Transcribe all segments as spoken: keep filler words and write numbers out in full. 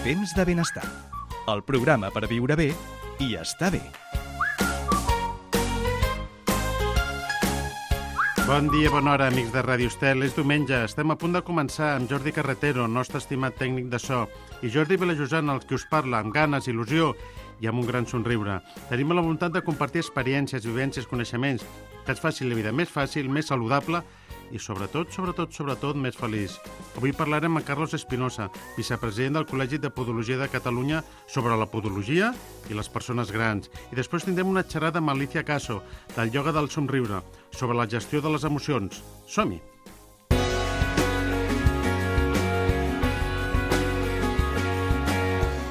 Temps de benestar. El programa per viure bé i estar bé. Bon dia, bona hora, amics de Ràdio Estel. És diumenge, estem a punt de començar amb Jordi Carretero, nostre estimat tècnic de so, i Jordi Vilajosant, el que us parla, amb ganes, il·lusió i amb un gran somriure. Tenim la voluntat de compartir experiències, vivències, coneixements, que ens facin la vida més fàcil, més saludable i sobretot, sobretot, sobretot, més feliç. Avui parlarem amb Carlos Espinosa, vicepresident del Col·legi de Podologia de Catalunya, sobre la podologia i les persones grans. I després tindrem una xerrada amb Alicia Caso, del ioga del somriure, sobre la gestió de les emocions. Som-hi!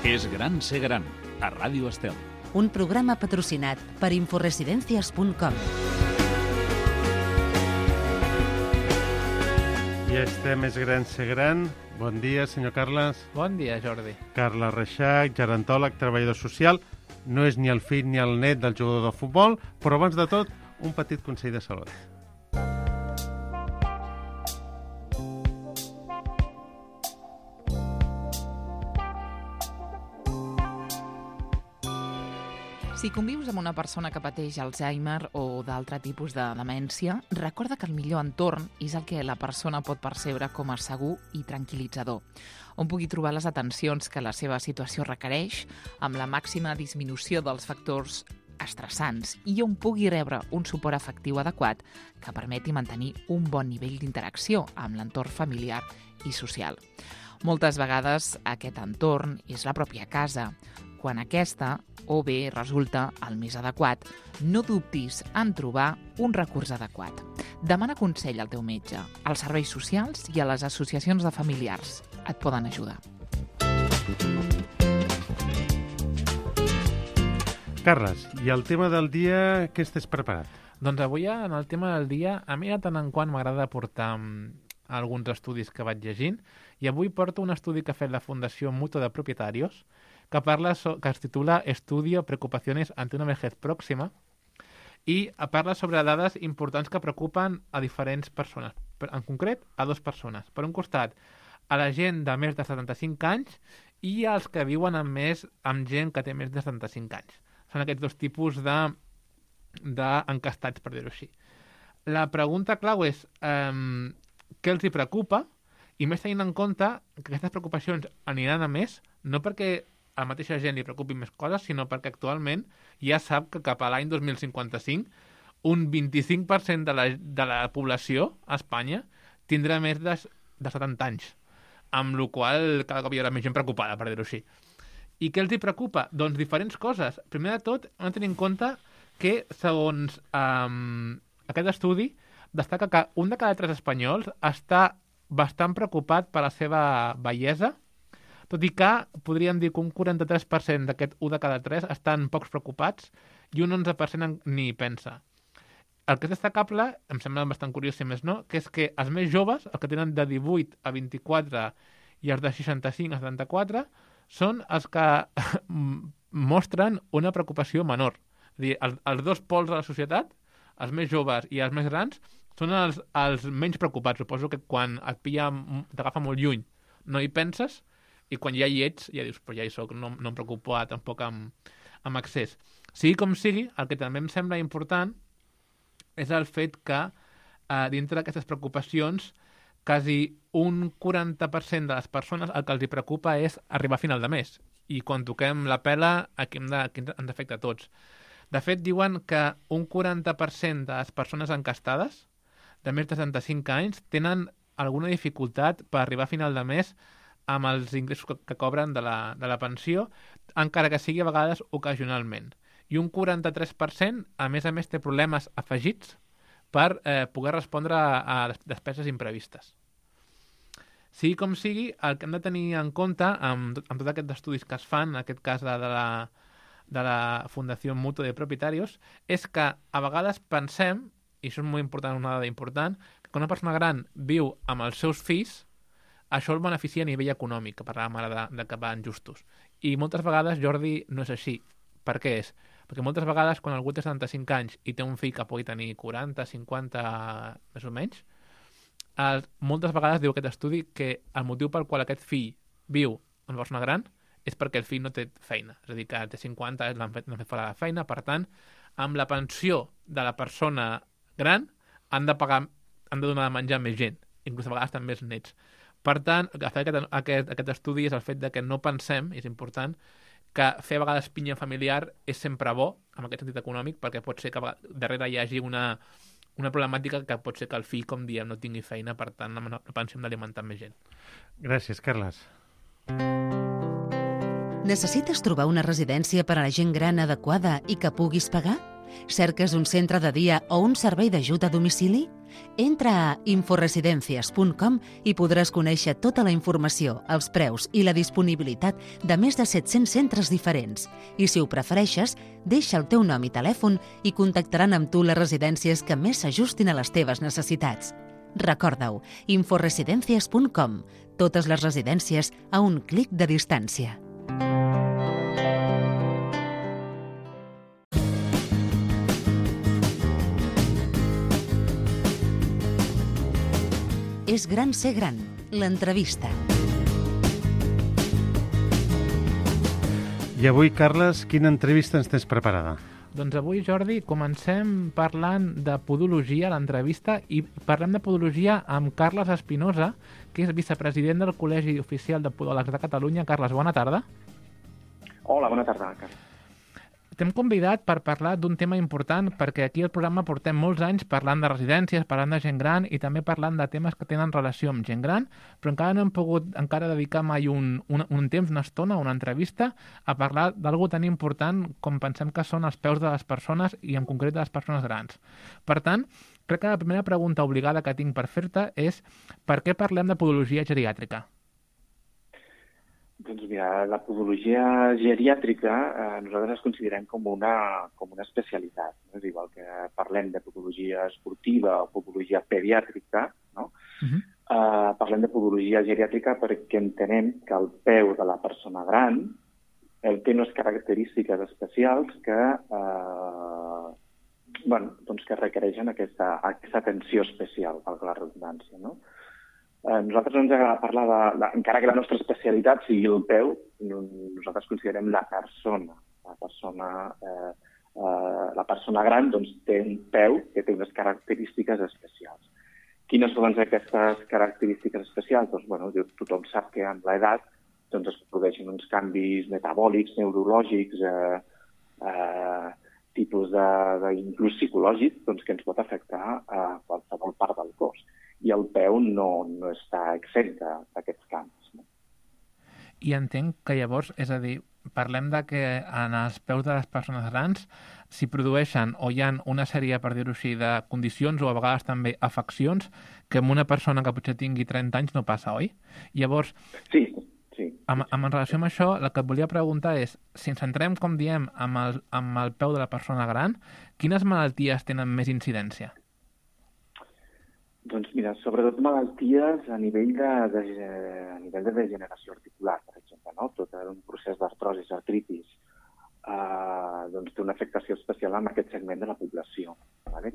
És gran ser gran, a Ràdio Estel. Un programa patrocinat per inforesidencias punt com. Ja estem, és gran ser gran. Bon dia, senyor Carles. Bon dia, Jordi. Carles Reixac, gerontòleg, treballador social. No és ni el fill ni el net del jugador de futbol, però abans de tot, un petit consell de salut. Si convius amb una persona que pateix Alzheimer o d'altre tipus de demència, recorda que el millor entorn és el que la persona pot percebre com a segur i tranquil·litzador, on pugui trobar les atencions que la seva situació requereix, amb la màxima disminució dels factors estressants i on pugui rebre un suport afectiu adequat que permeti mantenir un bon nivell d'interacció amb l'entorn familiar i social. Moltes vegades aquest entorn és la pròpia casa, quan aquesta o bé resulta el més adequat. No dubtis en trobar un recurs adequat. Demana consell al teu metge, als serveis socials i a les associacions de familiars. Et poden ajudar. Carles, i el tema del dia, què estàs preparat? Doncs avui, en el tema del dia, a mi de tant en quant m'agrada portar alguns estudis que vaig llegint, i avui porto un estudi que ha fet la Fundació Mutua de Propietarios, que parla so, que es titula Estudio Preocupaciones ante una vejez próxima, i parla sobre dades importants que preocupen a diferents persones, en concret a dues persones. Per un costat, a la gent de més de setanta-cinc anys i als que viuen amb, més, amb gent que té més de setanta-cinc anys. Són aquests dos tipus de, de encastats, per dir-ho així. La pregunta clau és um, què els hi preocupa, i més tenint en compte que aquestes preocupacions aniran a més, no perquè a la mateixa gent li preocupi més coses, sinó perquè actualment ja sap que cap a l'any dos mil cinquanta-cinc un vint-i-cinc per cent de la, de la població a Espanya tindrà més de, de setanta anys, amb la qual cada cop hi haurà més gent preocupada, per dir-ho així. I què els hi preocupa? Doncs diferents coses. Primer de tot, hem de tenir en compte que, segons um, aquest estudi, destaca que un de cada tres espanyols està bastant preocupat per la seva bellesa, tot i que podríem dir que un quaranta-tres per cent d'aquest un de cada tres estan pocs preocupats i un onze per cent ni pensa. El que és destacable, em sembla bastant curiós si més no, que és que els més joves, els que tenen de divuit a vint-i-quatre i els de seixanta-cinc a setanta-quatre, són els que mostren una preocupació menor. És a dir, els, els dos pols de la societat, els més joves i els més grans, són els, els menys preocupats. Suposo que quan et pilla, t'agafa molt lluny, no hi penses, i quan ja hi ets, ja dius, però ja hi soc, no, no em preocupo tampoc amb, amb accés. Sigui com sigui, el que també em sembla important és el fet que eh, dintre d'aquestes preocupacions quasi un quaranta per cent de les persones el que els hi preocupa és arribar a final de mes. I quan toquem la pela, aquí, hem de, aquí ens afecta a tots. De fet, diuen que un quaranta per cent de les persones encastades de més de setanta-cinc anys tenen alguna dificultat per arribar a final de mes amb els ingressos que, que cobren de la, de la pensió, encara que sigui a vegades ocasionalment. I un quaranta-tres per cent, a més a més, té problemes afegits per eh, poder respondre a, a despeses imprevistes. Sigui com sigui, el que hem de tenir en compte amb, amb tots aquests estudis que es fan, en aquest cas de, de, la, de la Fundació Mutua de Propietarios, és que a vegades pensem, i això és molt important, una dada important, que quan una persona gran viu amb els seus fills, això el beneficia a nivell econòmic, que parlàvem ara de, de que van justos. I moltes vegades, Jordi, no és així. Per què és? Perquè moltes vegades, quan algú té setanta-cinc anys i té un fill que pugui tenir quaranta, cinquanta, més o menys, eh, moltes vegades diu aquest estudi que el motiu pel qual aquest fill viu amb una persona gran és perquè el fill no té feina. És a dir, que té cinquanta anys, l'han fet, l'han fet fora de la feina. Per tant, amb la pensió de la persona gran han de pagar, han de donar de menjar més gent, inclús a vegades també més nets. Per tant, aquest, aquest, aquest estudi és el fet de que no pensem, i és important, que fer a vegades pinya familiar és sempre bo, en aquest sentit econòmic, perquè pot ser que darrere hi hagi una, una problemàtica que pot ser que el fill, com diem, no tingui feina, per tant, no pensem d'alimentar més gent. Gràcies, Carles. Necessites trobar una residència per a la gent gran adequada i que puguis pagar? Cerques un centre de dia o un servei d'ajut a domicili? Entra a inforesidencias punt com i podràs conèixer tota la informació, els preus i la disponibilitat de més de set-cents centres diferents. I si ho prefereixes, deixa el teu nom i telèfon i contactaran amb tu les residències que més s'ajustin a les teves necessitats. Recorda-ho, inforesidencias punt com. Totes les residències a un clic de distància. És gran ser gran, l'entrevista. I avui, Carles, quina entrevista ens tens preparada? Doncs avui, Jordi, comencem parlant de podologia a l'entrevista i parlem de podologia amb Carles Espinosa, que és vicepresident del Col·legi Oficial de Podòlegs de Catalunya. Carles, bona tarda. Hola, bona tarda, Carles. T'hem convidat per parlar d'un tema important perquè aquí al programa portem molts anys parlant de residències, parlant de gent gran i també parlant de temes que tenen relació amb gent gran, però encara no hem pogut encara dedicar mai un, un, un temps, una estona, una entrevista a parlar d'algú tan important com pensem que són els peus de les persones i en concret de les persones grans. Per tant, crec que la primera pregunta obligada que tinc per fer-te és per què parlem de podologia geriàtrica? Doncs mira, la podologia geriàtrica eh, nosaltres es considerem com una, com una especialitat. No? És igual que parlem de podologia esportiva o podologia pediàtrica, no? Uh-huh. eh, parlem de podologia geriàtrica perquè entenem que el peu de la persona gran eh, té unes característiques especials que, eh, bueno, doncs que requereixen aquesta, aquesta atenció especial, per la redundància, no? Eh, nosaltres no ens agrada parlar de, de... Encara que la nostra especialitat sigui el peu, nosaltres considerem la persona. La persona, eh, eh, la persona gran doncs, té un peu que té unes característiques especials. Quines són aquestes característiques especials? Doncs, bueno, tothom sap que amb l'edat doncs, es produeixen uns canvis metabòlics, neurològics, eh, eh, tipus de, de inclús psicològics, doncs, que ens pot afectar a qualsevol part del cos. I el peu no, no està exempt d'aquests canvis. No? I entenc que llavors, és a dir, parlem de que en els peus de les persones grans s'hi produeixen o hi ha una sèrie, per dir-ho així, de condicions o a vegades també afeccions que amb una persona que potser tingui trenta anys no passa, oi? Llavors, sí, sí. Amb, amb en relació amb això, el que et volia preguntar és, si ens centrem, com diem, amb el, amb el peu de la persona gran, quines malalties tenen més incidència? Doncs mira, sobretot malalties a nivell de, de, a nivell de degeneració articular, per exemple, no? Tot un procés d'artrosis, artritis, eh, doncs té una afectació especial en aquest segment de la població. Vale?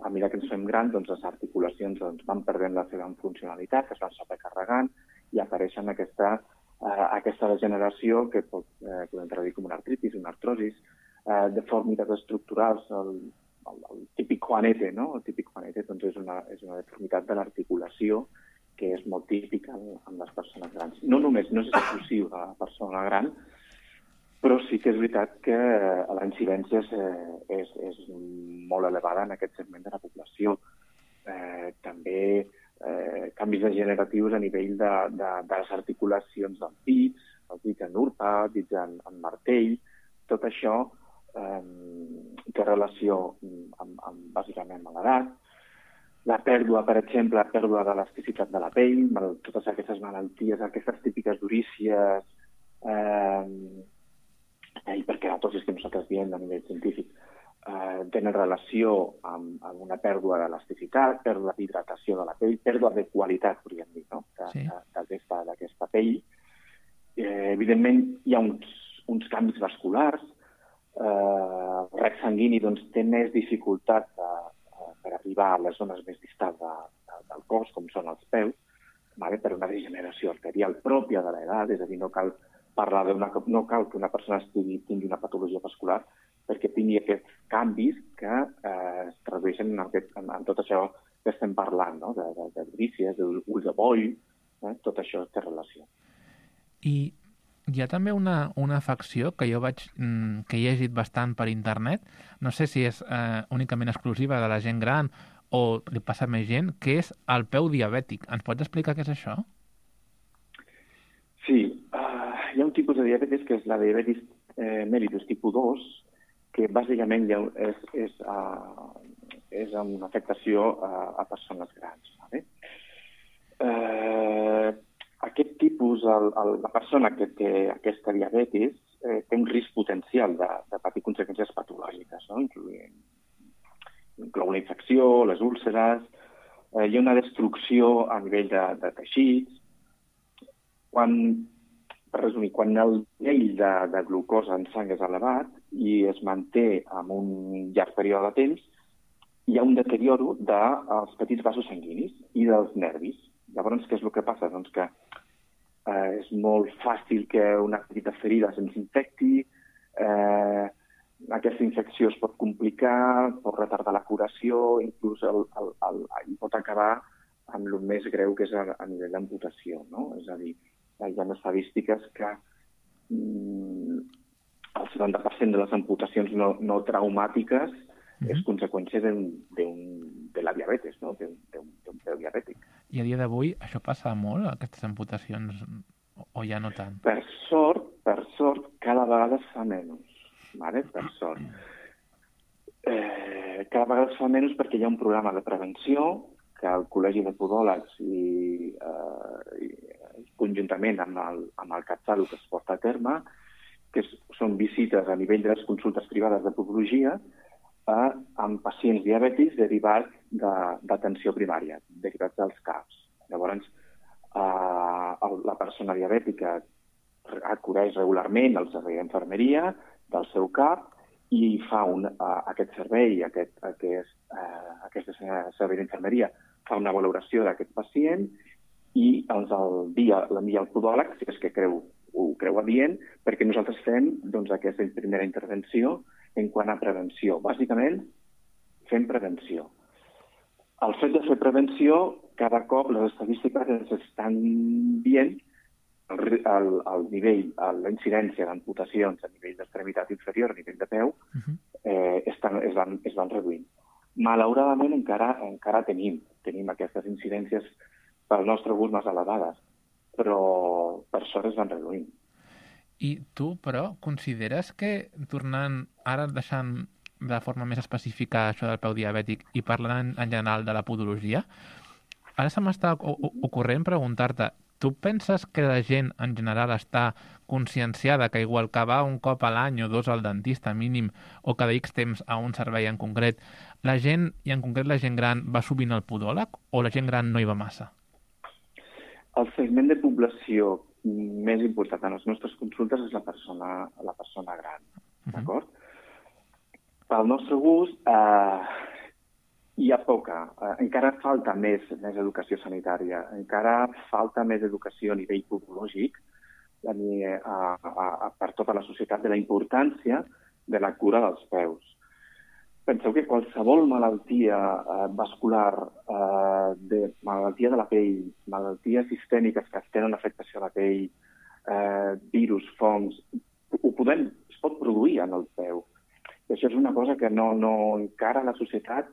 A mesura que ens fem grans, doncs les articulacions doncs, van perdent la seva funcionalitat, es van sobrecarregant i apareixen aquesta, eh, aquesta degeneració que pot, eh, podem traduir com una artritis, una artrosis, eh, deformitats estructurals, el, El, el típic juanete, no? El típic juanete doncs és, una, és una deformitat de l'articulació que és molt típica en, en les persones grans. No només, no és exclusiu de la persona gran, però sí que és veritat que la incidència és, és, és molt elevada en aquest segment de la població. Eh, també eh, canvis degeneratius a nivell de, de, de les articulacions dels dits, els dits en urpa, dits en, en martell, tot això Eh, té relació amb, amb, bàsicament amb l'edat. La pèrdua, per exemple, la pèrdua d'elasticitat de la pell, mal, totes aquestes malalties, aquestes típiques durícies, eh, hiperkeratosis que nosaltres diem a nivell científic, eh, tenen relació amb, amb una pèrdua d'elasticitat, pèrdua d'hidratació de la pell, pèrdua de qualitat, podríem dir, no? de, sí. d'aquesta, d'aquesta pell. Eh, evidentment, hi ha uns, uns canvis vasculars. Eh, el rec sanguini doncs, té més dificultat de, de, per arribar a les zones més distals de, de, del cos, com són els peus, vale? Per una degeneració arterial pròpia de l'edat, és a dir, no cal parlar d'una... No cal que una persona estigui, tingui una patologia vascular perquè tingui aquests canvis que eh, es tradueixen en, aquest, en, en tot això que estem parlant, no? de, de, de brícies, d'ulls de boll, eh? Tot això té relació. I hi ha també una, una afecció que jo vaig, que he llegit bastant per internet, no sé si és eh, únicament exclusiva de la gent gran o li passa a més gent, que és el peu diabètic. Ens pots explicar què és això? Sí, uh, hi ha un tipus de diabetis que és la diabetis eh, mellitus tipus dos, que bàsicament ha, és, és, uh, és una afectació a, a persones grans. Vale? Uh, aquest tipus, el, el, la persona que té aquesta diabetis eh, té un risc potencial de, de patir conseqüències patològiques, no? Incloent, inclou la infecció, les úlceres, eh, hi ha una destrucció a nivell de, de teixits. Quan, per resumir, quan el nivell de, de glucosa en sang és elevat i es manté en un llarg període de temps, hi ha un deterioro dels petits vasos sanguinis i dels nervis. Llavors, què és el que passa? Doncs que eh, és molt fàcil que una petita ferida se'ns infecti, eh, aquesta infecció es pot complicar, pot retardar la curació, inclús el, el, el, el, pot acabar amb el més greu, que és a, a nivell d'amputació, no? És a dir, hi ha estadístiques que mm, el setanta per cent de les amputacions no, no traumàtiques mm-hmm. és conseqüència de, de, de la diabetes, no? d'un peu diabètic. I a dia d'avui això passa molt, aquestes amputacions, o ja no tant? Per sort, per sort, cada vegada es fa menys. Vale? Per sort. Eh, cada vegada es fa menys perquè hi ha un programa de prevenció que el Col·legi de Podòlegs i, eh, i conjuntament amb el, amb el CatSalut es porta a terme, que és, són visites a nivell de les consultes privades de podologia eh, amb pacients diabètics derivats d'atenció primària, derivats dels C A Ps. Llavors, eh, la persona diabètica acudeix regularment al servei d'infermeria del seu cap i fa un, uh, aquest servei, aquest, aquest, uh, aquest servei d'infermeria fa una valoració d'aquest pacient i ens l'envia al podòleg, si és que creu, ho creu adient, perquè nosaltres fem doncs, aquesta primera intervenció en quant a prevenció. Bàsicament, fem prevenció. El fet de fer prevenció, cada cop les estadístiques ens estan dient El, el, el nivell, la incidència d'amputacions a nivell d'extremitat inferior, a nivell de peu, uh-huh. eh, estan, es, van, es van reduint. Malauradament encara, encara tenim, tenim aquestes incidències pel nostre gust més elevades, però per sort es van reduint. I tu, però, consideres que, tornant ara deixant de forma més específica això del peu diabètic i parlant en general de la podologia, ara se m'està ocorrent preguntar-te, tu penses que la gent en general està conscienciada que igual que va un cop a l'any o dos al dentista mínim o cada X temps a un servei en concret, la gent, i en concret la gent gran, va sovint al podòleg o la gent gran no hi va massa? El segment de població més important en les nostres consultes és la persona, la persona gran, uh-huh. d'acord? Pel nostre gust, eh, hi ha poca. Eh, encara falta més, més educació sanitària, encara falta més educació a nivell podològic a, a, a, a, per tota la societat de la importància de la cura dels peus. Penseu que qualsevol malaltia eh, vascular, eh, de, malaltia de la pell, malalties sistèmiques que tenen afectació a la pell, eh, virus, fongs, ho podem, es pot produir en el peu. I això és una cosa que no, no encara la societat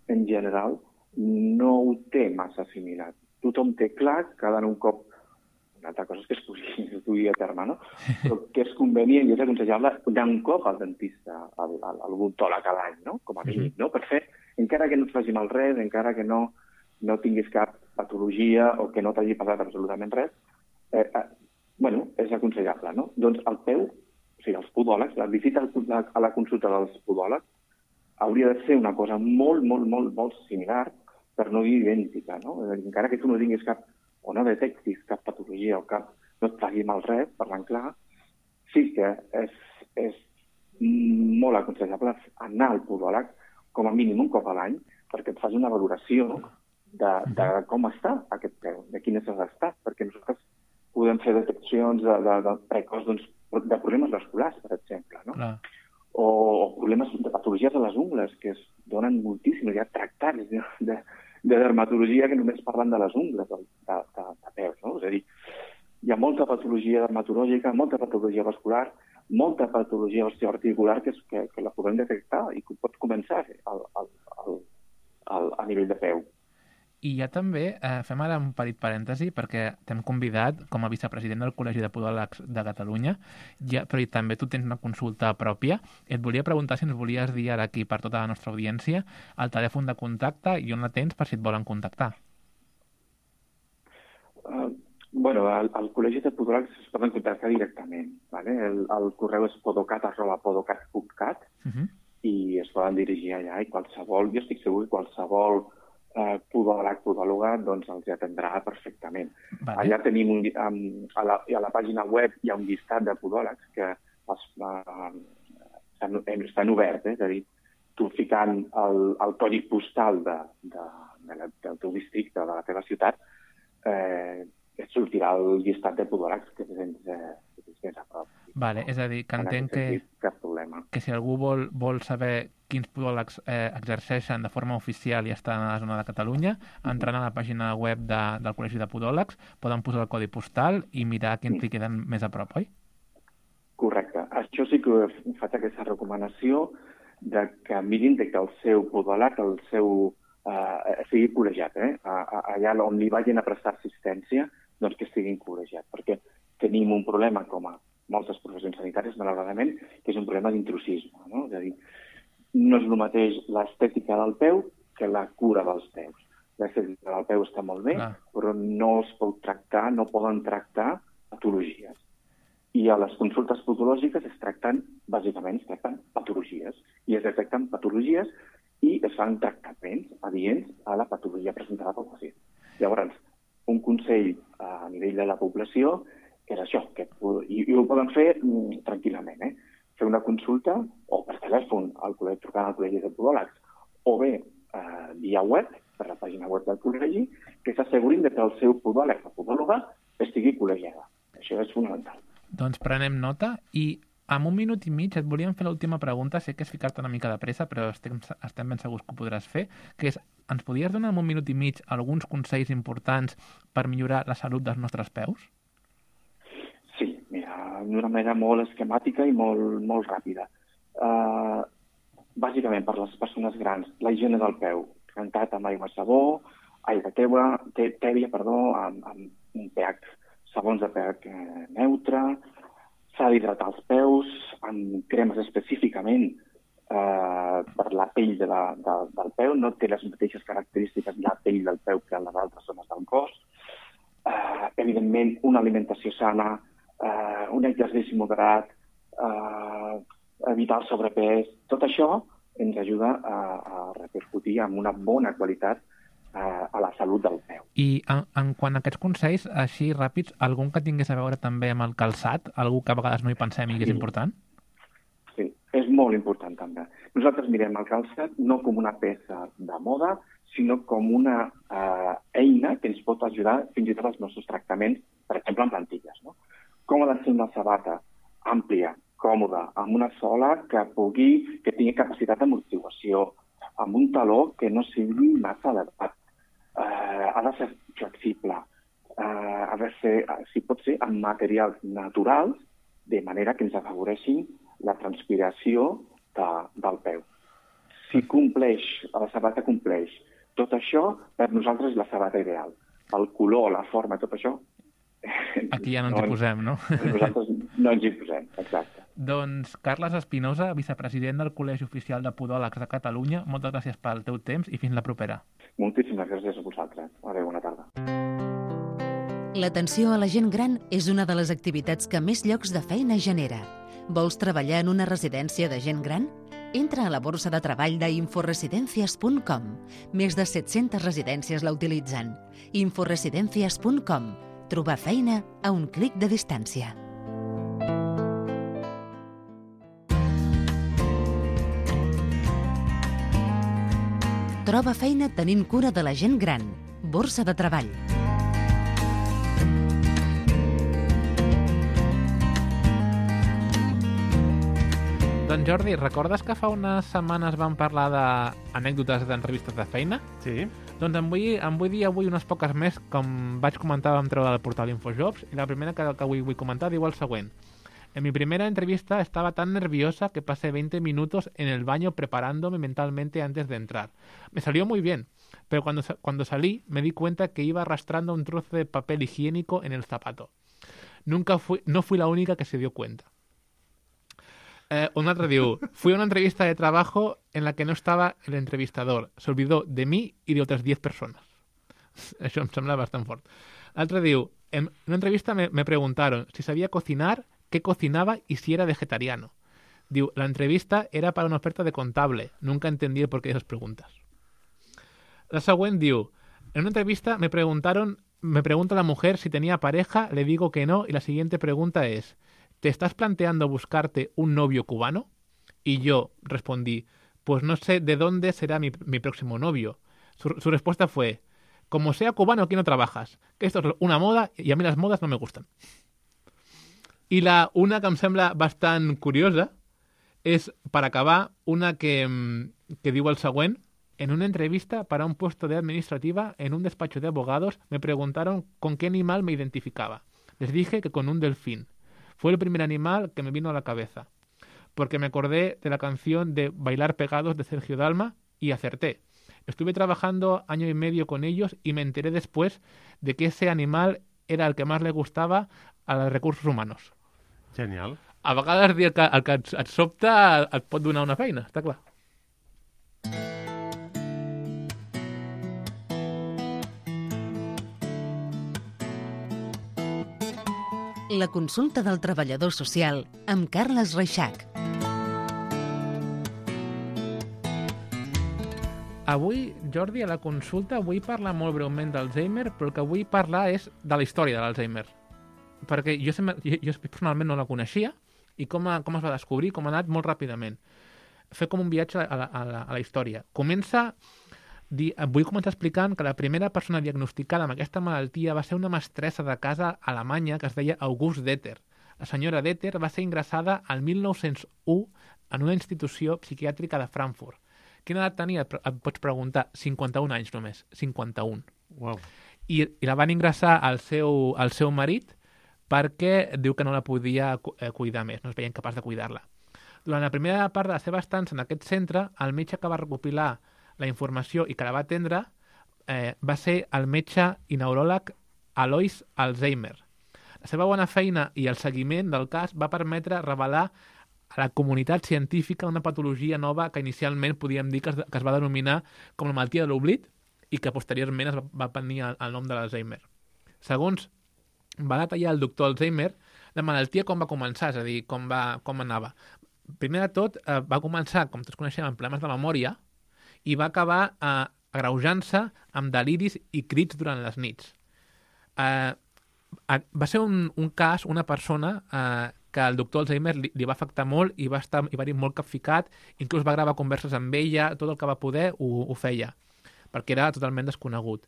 en general, no ho té massa assimilat. Tothom té clar que ha d'anar un cop, una altra cosa és que es pugui, es pugui a terme, no? Però que és convenient i és aconsellable anar un cop al dentista, al, al, al odontòleg a l'any, no? Com a mínim, no? Per fer, encara que no et faci mal res, encara que no, no tinguis cap patologia o que no t'hagi passat absolutament res, eh, eh, bueno, és aconsellable, no? Doncs el peu, o sigui, els podòlegs, la visita a la consulta dels podòlegs, hauria de ser una cosa molt, molt, molt, molt similar, per no dir idèntica, no? Encara que tu no tinguis cap, o no detectis cap patologia o cap, no et faci mal res, parlant clar, sí que és, és molt aconsellable anar al podòleg com a mínim un cop a l'any perquè et faci una valoració de, de com està aquest peu, de quin és l'estat, perquè nosaltres podem fer deteccions de, de, de precoç doncs, de problemes vasculars, per exemple, no? Clar. O, o problemes de patologies de les ungles, que es donen moltíssim. Hi ha tractats de, de, de dermatologia que només parlen de les ungles, de, de, de, de peus, no? És a dir, hi ha molta patologia dermatològica, molta patologia vascular, molta patologia osteoarticular que, és, que, que la podem detectar i que pot començar al, al, al, al, a nivell de peu. I ja també eh, fem ara un petit parèntesi perquè t'hem convidat com a vicepresident del Col·legi de Podòlegs de Catalunya, ja, però i també tu tens una consulta pròpia. Et volia preguntar si ens volies dir ara aquí per tota la nostra audiència el telèfon de contacte i on la tens per si et volen contactar. Uh, bueno, al, al Col·legi de Podòlegs es poden contactar directament. ¿Vale? El, el correu és podocat arroba podocat punt cat uh-huh. i es poden dirigir allà i qualsevol, jo estic segur que qualsevol Uh, podòleg, podòloga, doncs els atendrà perfectament. Vale. Allà tenim un, um, a, la, a la pàgina web hi ha un llistat de podòlegs que es, uh, estan, estan oberts, eh? És a dir, tu ficant el, el codi postal de, de, de la, del teu districte, de la teva ciutat, eh, et sortirà el llistat de podòlegs que tens, eh, que tens més a prop. Vale, és a dir, que entenc que, cap problema. que si algú vol, vol saber quins podòlegs eh, exerceixen de forma oficial i estan a la zona de Catalunya, entrant a la pàgina web de, del Col·legi de Podòlegs, poden posar el codi postal i mirar quins li queden més a prop, oi? Correcte. Això sí que faig aquesta recomanació de que mirin de que el seu podòleg, el seu, eh, sigui col·legiat. Eh? Allà on li vagin a prestar assistència, doncs que estiguin col·legiats. Perquè tenim un problema com a moltes professions sanitàries, malauradament, que és un problema d'intrusisme. No? És a dir, no és el mateix l'estètica del peu que la cura dels peus. L'estètica del peu està molt bé, ah. però no es pot tractar, no poden tractar patologies. I a les consultes podològiques es tracten, bàsicament, es tracten patologies. I es detecten patologies i es fan tractaments adients a la patologia presentada pel pacient. Llavors, un consell a nivell de la població és això, que, i, i ho poden fer mm, tranquil·lament, eh? Fer una consulta o per telèfon al col·legi, trucant al Col·legi de Podòlegs, o bé eh, via web, per la pàgina web del col·legi, que s'assegurin que el seu podòleg o podòloga estigui col·legiada. Això és fonamental. Doncs prenem nota i en un minut i mig et volíem fer l'última pregunta, sé que és ficar-te una mica de pressa, però estem, estem ben segurs que ho podràs fer, que és, ens podries donar en un minut i mig alguns consells importants per millorar la salut dels nostres peus? Sí, mira, d'una manera molt esquemàtica i molt, molt ràpida. Uh, bàsicament, per les persones grans, la higiene del peu, rentat amb aigua sabó, aigua teua, tèbia, perdó, amb, amb un pH, sabons de pH neutre, s'ha d'hidratar els peus amb cremes específicament uh, per la pell de la, de, del peu, no té les mateixes característiques la pell del peu que les altres zones del cos. Uh, evidentment, una alimentació sana, Uh, un exercici moderat, uh, evitar el sobrepès, tot això ens ajuda a, a repercutir amb una bona qualitat uh, a la salut del peu. I en, en quant a aquests consells, així ràpids, algun que tingués a veure també amb el calçat, algú que a vegades no hi pensem i que és sí. important? Sí, és molt important també. Nosaltres mirem el calçat no com una peça de moda, sinó com una uh, eina que ens pot ajudar fins i tot als nostres tractaments, per exemple, en plantilles, no? Com ha de ser una sabata àmplia, còmoda, amb una sola que pugui, que tingui capacitat d'amortiguació, amb un taló que no sigui massa elevat. Uh, ha de ser flexible, uh, ha de ser, si pot ser, amb materials naturals, de manera que ens afavoreixin la transpiració de, del peu. Si compleix, la sabata compleix tot això, per nosaltres és la sabata ideal. El color, la forma, tot això, aquí ja no ens hi posem, no? Nosaltres no ens hi posem, exacte. Doncs Carles Espinosa, vicepresident del Col·legi Oficial de Podòlegs de Catalunya, moltes gràcies pel teu temps i fins la propera. Moltíssimes gràcies a vosaltres. Adéu, bona tarda. L'atenció a la gent gran és una de les activitats que més llocs de feina genera. Vols treballar en una residència de gent gran? Entra a la borsa de treball d'inforesidencias punt com. Més de set-centes residències la utilitzen. inforesidencias punt com. Trobar feina a un clic de distància. Troba feina tenint cura de la gent gran. Borsa de treball. Doncs Jordi, recordes que fa unes setmanes vam parlar d'anècdotes d'entrevistes de feina? Sí. Doncs em vull, em vull dir avui unes poques més, com vaig comentar, vam treure del portal Infojobs, i la primera que, que avui vull comentar diu el següent. En mi primera entrevista estaba tan nerviosa que pasé veinte minutos en el baño preparándome mentalmente antes de entrar. Me salió muy bien, pero cuando, cuando salí me di cuenta que iba arrastrando un trozo de papel higiénico en el zapato. Nunca fui, no fui la única que se dio cuenta. Eh, un altre diu, fui a una entrevista de trabajo en la que no estaba el entrevistador. Se olvidó de mí y de otras diez personas. Això em sembla bastant fort. L'altre diu, en una entrevista me, me preguntaron si sabía cocinar, qué cocinaba y si era vegetariano. Diu, la entrevista era para una oferta de contable. Nunca entendí el porqué de esas preguntas. La següent diu, en una entrevista me preguntaron, me pregunta la mujer si tenía pareja, le digo que no y la siguiente pregunta es, ¿te estás planteando buscarte un novio cubano? Y yo respondí, pues no sé de dónde será mi, mi próximo novio. Su, su respuesta fue, como sea cubano aquí no trabajas, que esto es una moda y a mí las modas no me gustan. I la una que em sembla bastant curiosa és, per acabar, una que, que diu el següent. En una entrevista para un puesto de administrativa en un despacho de abogados me preguntaron con qué animal me identificaba. Les dije que con un delfín. Fue el primer animal que me vino a la cabeza, porque me acordé de la canción de Bailar Pegados de Sergio Dalma y acerté. Estuve trabajando año y medio con ellos y me enteré después de que ese animal era el que más le gustaba a los recursos humanos. Genial. A vegades dir el que, el que et, et sobta et pot donar una feina, està clar. La consulta del treballador social amb Carles Reixac. Avui, Jordi, a la consulta vull parlar molt breument d'Alzheimer, però el que vull parlar és de la història de l'Alzheimer. Perquè jo, sempre, jo, jo personalment no la coneixia i com, a, com es va descobrir, com ha anat molt ràpidament. Fer com un viatge a la, a la, a la història. Comença, di, vull començar explicant que la primera persona diagnosticada amb aquesta malaltia va ser una mestressa de casa alemanya que es deia August Deter. La senyora Deter va ser ingressada al mil nou-cents u en una institució psiquiàtrica de Frankfurt. Quina edat tenia? Et pots preguntar. cinquanta-un anys només. cinquanta-un. Wow. I, i la van ingressar al seu, al seu marit perquè diu que no la podia cuidar més, no es veia incapaç de cuidar-la. Durant la primera part de la seva estança en aquest centre, el metge que va recopilar la informació i que la va atendre eh, va ser el metge i neuròleg Alois Alzheimer. La seva bona feina i el seguiment del cas va permetre revelar a la comunitat científica una patologia nova que inicialment podíem dir que es, que es va denominar com la malaltia de l'oblit i que posteriorment es va, va prendre el, el nom de l'Alzheimer. Segons va detallar el doctor Alzheimer, la malaltia com va començar, és a dir, com, va, com anava. Primer de tot, eh, va començar, com tots coneixem, amb problemes de memòria i va acabar eh, agreujant-se amb deliris i crits durant les nits. Eh, va ser un, un cas, una persona eh, que el doctor Alzheimer li, li va afectar molt i va estar i va dir molt capficat, inclús va gravar converses amb ella, tot el que va poder ho, ho feia, perquè era totalment desconegut.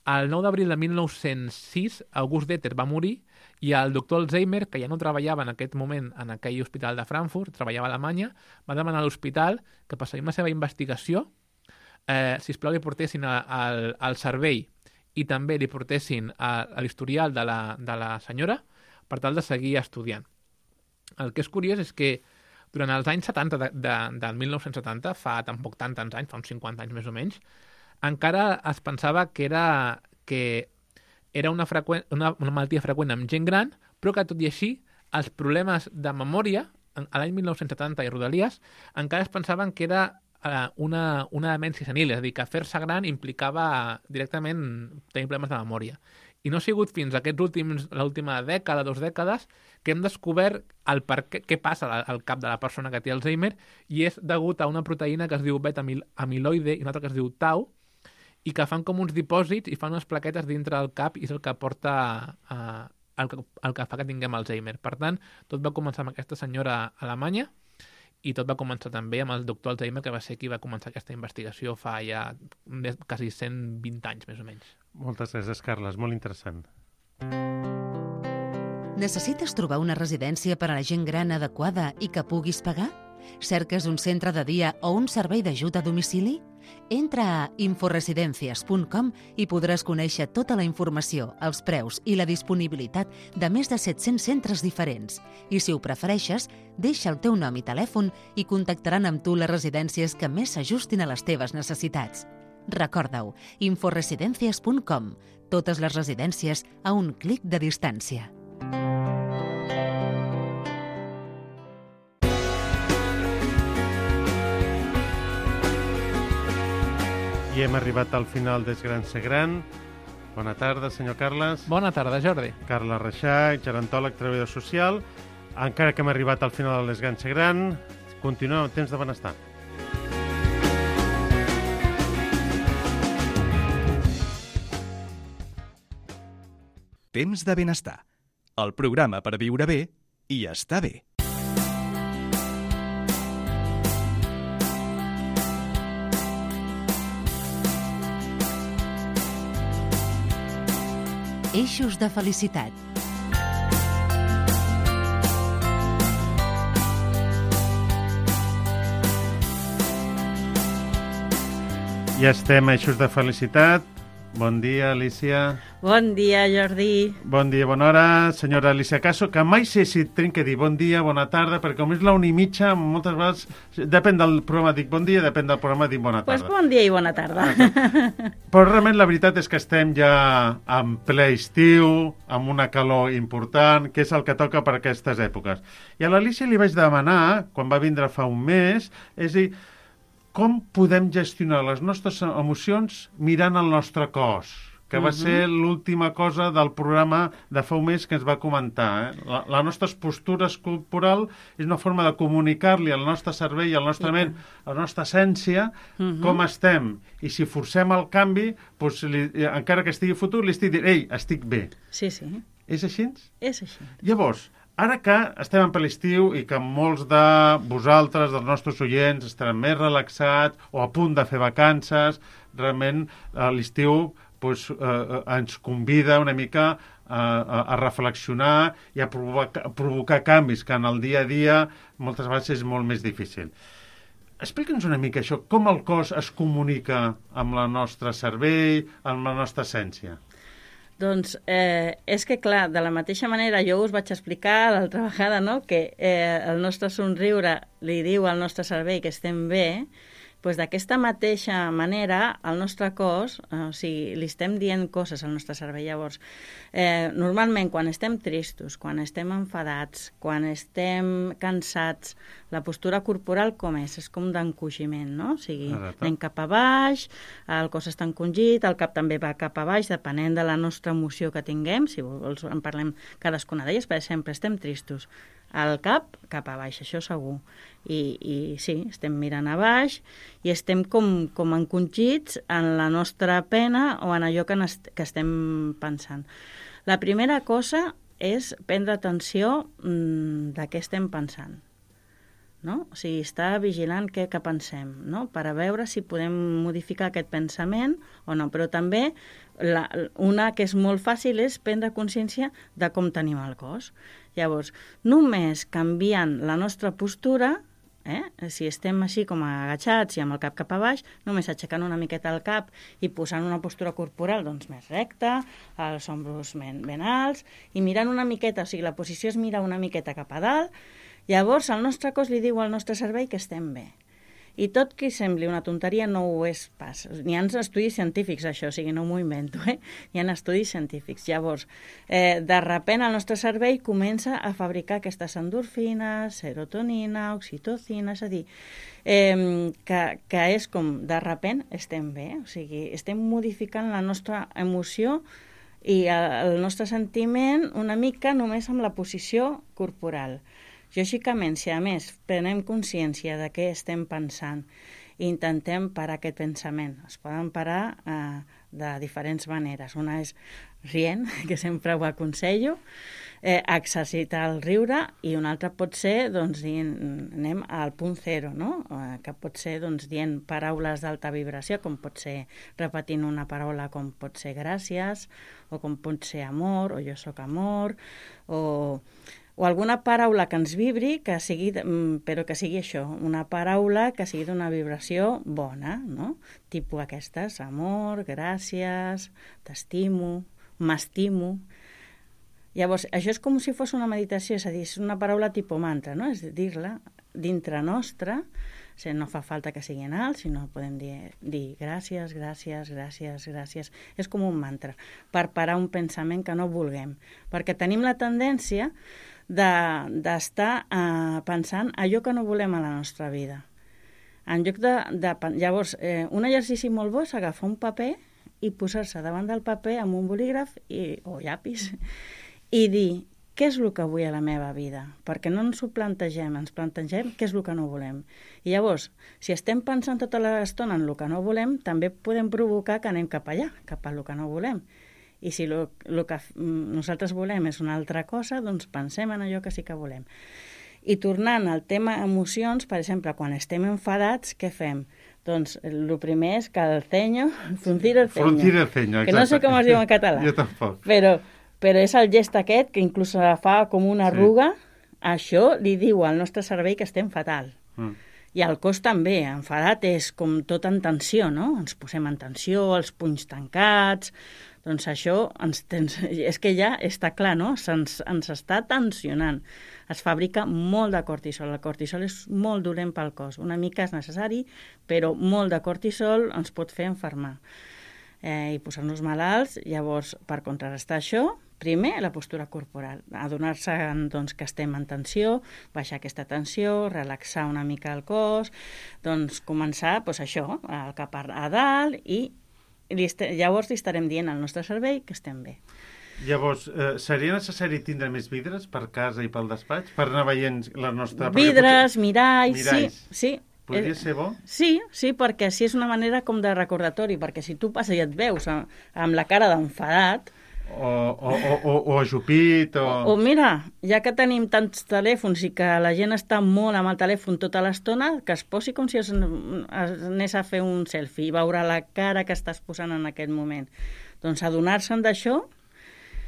El nou d'abril de mil nou-cents sis, August Deter va morir i el doctor Alzheimer, que ja no treballava en aquest moment en aquell hospital de Frankfurt, treballava a Alemanya, va demanar a l'hospital que per seguir la seva investigació, eh, sisplau li portessin al, al cervell i també li portessin a, a l'historial de, la, de la senyora per tal de seguir estudiant. El que és curiós és que durant els anys setanta de, de, del mil nou-cents setanta, fa tampoc tant tants anys, fa uns cinquanta anys més o menys, encara es pensava que era, que era una, freqüent, una, una malaltia freqüent amb gent gran, però que tot i així els problemes de memòria, a l'any mil nou-cents setanta i Rodalies, encara es pensaven que era eh, una, una demència senil, és a dir, que fer-se gran implicava directament tenir problemes de memòria. I no ha sigut fins a aquests últims, l'última dècada, dues dècades, que hem descobert el per què, què passa al cap de la persona que té Alzheimer i és degut a una proteïna que es diu beta-amiloide i una altra que es diu tau i que fan com uns dipòsits i fan unes plaquetes dintre del cap i és el que porta eh, el, que, el que fa que tinguem Alzheimer. Per tant, tot va començar amb aquesta senyora alemanya i tot va començar també amb el doctor Alzheimer, que va ser qui va començar aquesta investigació fa ja quasi cent vint anys, més o menys. Moltes gràcies, Carles. Molt interessant. Necessites trobar una residència per a la gent gran adequada i que puguis pagar? Cerques un centre de dia o un servei d'ajut a domicili? Entra a inforesidencias punt com i podràs conèixer tota la informació, els preus i la disponibilitat de més de set-cents centres diferents. I si ho prefereixes, deixa el teu nom i telèfon i contactaran amb tu les residències que més s'ajustin a les teves necessitats. Recorda-ho, inforesidencias punt com. Totes les residències a un clic de distància. I hem arribat al final d'És Gran Ser Gran. Bona tarda, senyor Carles. Bona tarda, Jordi. Carles Reixac, gerontòleg, treballador social. Encara que hem arribat al final de l'És Gran Ser Gran, continuem amb temps de benestar. Temps de benestar. El programa per viure bé i estar bé. Eixos de felicitat. Ja estem a Eixos de felicitat. Bon dia, Alicia. Bon dia, Jordi. Bon dia, bona hora, senyora Alicia Caso, que mai sé si tinc que dir bon dia, bona tarda, perquè com és la una i mitja, moltes vegades, depèn del programa dic bon dia, depèn del programa dic bona tarda. Doncs pues bon dia i bona tarda. Ah, però realment la veritat és que estem ja en ple estiu, amb una calor important, que és el que toca per aquestes èpoques. I a l'Alicia li vaig demanar, quan va vindre fa un mes, és a dir, com podem gestionar les nostres emocions mirant el nostre cos, que va ser l'última cosa del programa de fa un mes que ens va comentar. Eh? La, la nostra postura corporal és una forma de comunicar-li al nostre cervell, al nostre ment, a la nostra essència, uh-huh. com estem. I si forcem el canvi, doncs li, encara que estigui fotut, li estic dient, ei, estic bé. Sí, sí. És així? És així. Llavors, ara que estem en ple estiu i que molts de vosaltres, dels nostres oients, estaran més relaxats o a punt de fer vacances, realment l'estiu doncs, eh, ens convida una mica a, a, a reflexionar i a provocar, a provocar canvis, que en el dia a dia moltes vegades és molt més difícil. Explica'ns una mica això, com el cos es comunica amb el nostre cervell, amb la nostra essència. Doncs eh, és que, clar, de la mateixa manera jo us vaig explicar l'altra vegada, no?, que eh, el nostre somriure li diu al nostre cervell que estem bé, doncs d'aquesta mateixa manera el nostre cos, eh, o sigui, li estem dient coses al nostre cervell. Llavors, eh, normalment quan estem tristos, quan estem enfadats, quan estem cansats, la postura corporal com és? És com d'encogiment, no? O sigui, anem cap a baix, el cos està encongit, el cap també va cap a baix, depenent de la nostra emoció que tinguem. Si vols en parlem cadascuna d'elles, per exemple, estem tristos. El cap cap a baix, això segur. I, i sí, estem mirant a baix i estem com, com encongits en la nostra pena o en allò que, est que estem pensant. La primera cosa és prendre atenció mmm, de què estem pensant. No? O sigui, estar vigilant què que pensem, no? Per a veure si podem modificar aquest pensament o no. Però també la, una que és molt fàcil és prendre consciència de com tenim el cos. Llavors, només canviant la nostra postura, eh? Si estem així com agachats i amb el cap cap a baix, només aixecant una miqueta el cap i posant una postura corporal doncs, més recta, els ombros ben, ben alts, i mirant una miqueta, o sigui, la posició és mirar una miqueta cap a dalt. Llavors el nostre cos li diu al nostre cervell que estem bé. I tot que sembli una tonteria no ho és pas. N'hi ha estudis científics, això, o sigui, no m'ho invento, eh? Hi ha estudis científics. Llavors, eh, de repent el nostre cervell comença a fabricar aquestes endorfines, serotonina, oxitocina, és a dir, eh, que, que és com, de repent estem bé, o sigui, estem modificant la nostra emoció i el nostre sentiment una mica només amb la posició corporal. Lògicament, si a més prenem consciència de què estem pensant i intentem parar aquest pensament, es poden parar eh, de diferents maneres. Una és rient, que sempre ho aconsello, eh, exercitar el riure, i una altra pot ser, doncs, dient, anem al punt zero, no? Eh, que pot ser, doncs, dient paraules d'alta vibració, com pot ser repetint una paraula com pot ser gràcies, o com pot ser amor, o jo sóc amor, o... o alguna paraula que ens vibri, que sigui, però que sigui això, una paraula que sigui d'una vibració bona, no? Tipus aquestes, amor, gràcies, t'estimo, m'estimo. Llavors, això és com si fos una meditació, és a dir, és una paraula tipus mantra, no? És dir-la dintre nostra, o sigui, no fa falta que sigui en alt, sinó podem dir, dir gràcies, gràcies, gràcies, gràcies. És com un mantra, per parar un pensament que no vulguem. Perquè tenim la tendència d'estar de, uh, pensant allò que no volem a la nostra vida. En lloc de... de llavors, eh, un exercici molt bo és agafar un paper i posar-se davant del paper amb un bolígraf i, o llapis i dir què és el que vull a la meva vida, perquè no ens ho plantegem, ens plantegem què és el que no volem. I llavors, si estem pensant tota l'estona en el que no volem, també podem provocar que anem cap allà, cap a el que no volem. I si el que nosaltres volem és una altra cosa, doncs pensem en allò que sí que volem. I tornant al tema emocions, per exemple, quan estem enfadats, què fem? Doncs el primer és que el ceño, fruncir el ceño. Fruncir el ceño, exacte. Que no sé com es diu en català. Jo tampoc. Però... Però és el gest aquest, que inclús fa com una arruga, sí. Això li diu al nostre cervell que estem fatal. Mm. I el cos també, enfadat és com tot en tensió, no? Ens posem en tensió, els punys tancats, doncs això ens tens... és que ja està clar, no? Ens, ens està tensionant. Es fabrica molt de cortisol. El cortisol és molt dolent pel cos. Una mica és necessari, però molt de cortisol ens pot fer enfermar. Eh, i posar-nos malalts. Llavors, per contrarrestar això, primer, la postura corporal, adonar-se doncs, que estem en tensió, baixar aquesta tensió, relaxar una mica el cos, doncs començar doncs, això, el cap a dalt i li llavors li estarem dient al nostre cervell que estem bé. Llavors, eh, seria necessari tindre més vidres per casa i pel despatx per anar veient la nostra... Vidres, potser... miralls, miralls, sí, sí. Podria ser bo? Sí, sí, perquè així és una manera com de recordatori, perquè si tu passes i et veus amb, amb la cara d'enfadat... O, o, o, o ajupit, o... o... O mira, ja que tenim tants telèfons i que la gent està molt amb el telèfon tota l'estona, que es posi com si es, es anés a fer un selfie i veure la cara que estàs posant en aquest moment. Doncs adonar-se'n d'això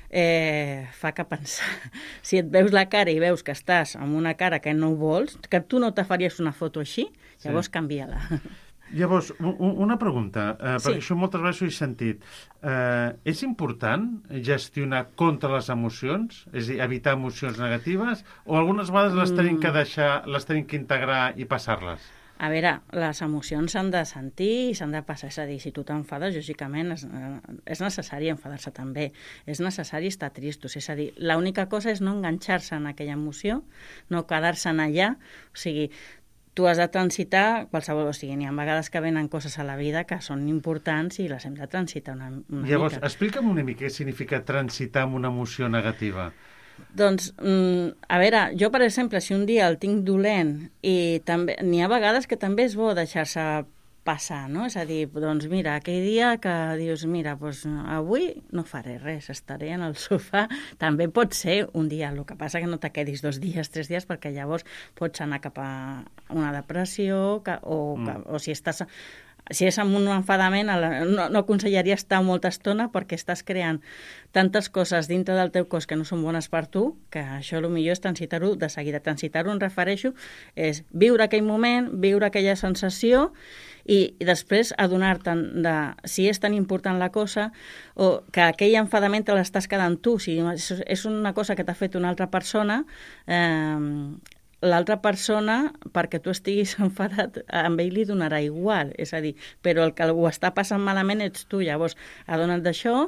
eh, fa que pensar. Si et veus la cara i veus que estàs amb una cara que no vols, que tu no te faries una foto així, llavors sí. Canvia-la. Llavors, una pregunta, eh, perquè sí. Això moltes vegades ho he sentit. Eh, és important gestionar contra les emocions? És a dir, evitar emocions negatives? O algunes vegades les tenim que deixar, les tenim que integrar i passar-les? A veure, les emocions s'han de sentir i s'han de passar. És a dir, si tu t'enfades, lògicament, és, és necessari enfadar-se també. És necessari estar tristos. És a dir, l'única cosa és no enganxar-se en aquella emoció, no quedar-se en allà. O sigui, tu has de transitar qualsevol, o sigui, n'hi ha vegades que venen coses a la vida que són importants i les hem de transitar una, una Llavors, mica. Explica'm una mica què significa transitar amb una emoció negativa. Doncs, a veure, jo, per exemple, si un dia el tinc dolent i també n'hi ha vegades que també és bo deixar-se passar, no? És a dir, doncs mira, aquell dia que dius, mira, doncs avui no faré res, estaré en el sofà, també pot ser un dia, el que passa que no te quedis dos dies, tres dies, perquè llavors pots anar cap a una depressió, que, o, mm. que, o si estàs... Si és amb un enfadament, no, no aconsellaria estar molta estona perquè estàs creant tantes coses dintre del teu cos que no són bones per tu, que això el millor és transitar-ho de seguida. Transitar-ho, em refereixo, és viure aquell moment, viure aquella sensació i, i després adonar-te'n de si és tan important la cosa o que aquell enfadament te l'estàs quedant tu. Si és una cosa que t'ha fet una altra persona... Eh, l'altra persona, perquè tu estiguis enfadat, amb ell li donarà igual, és a dir, però el que ho està passant malament ets tu, llavors adona't d'això,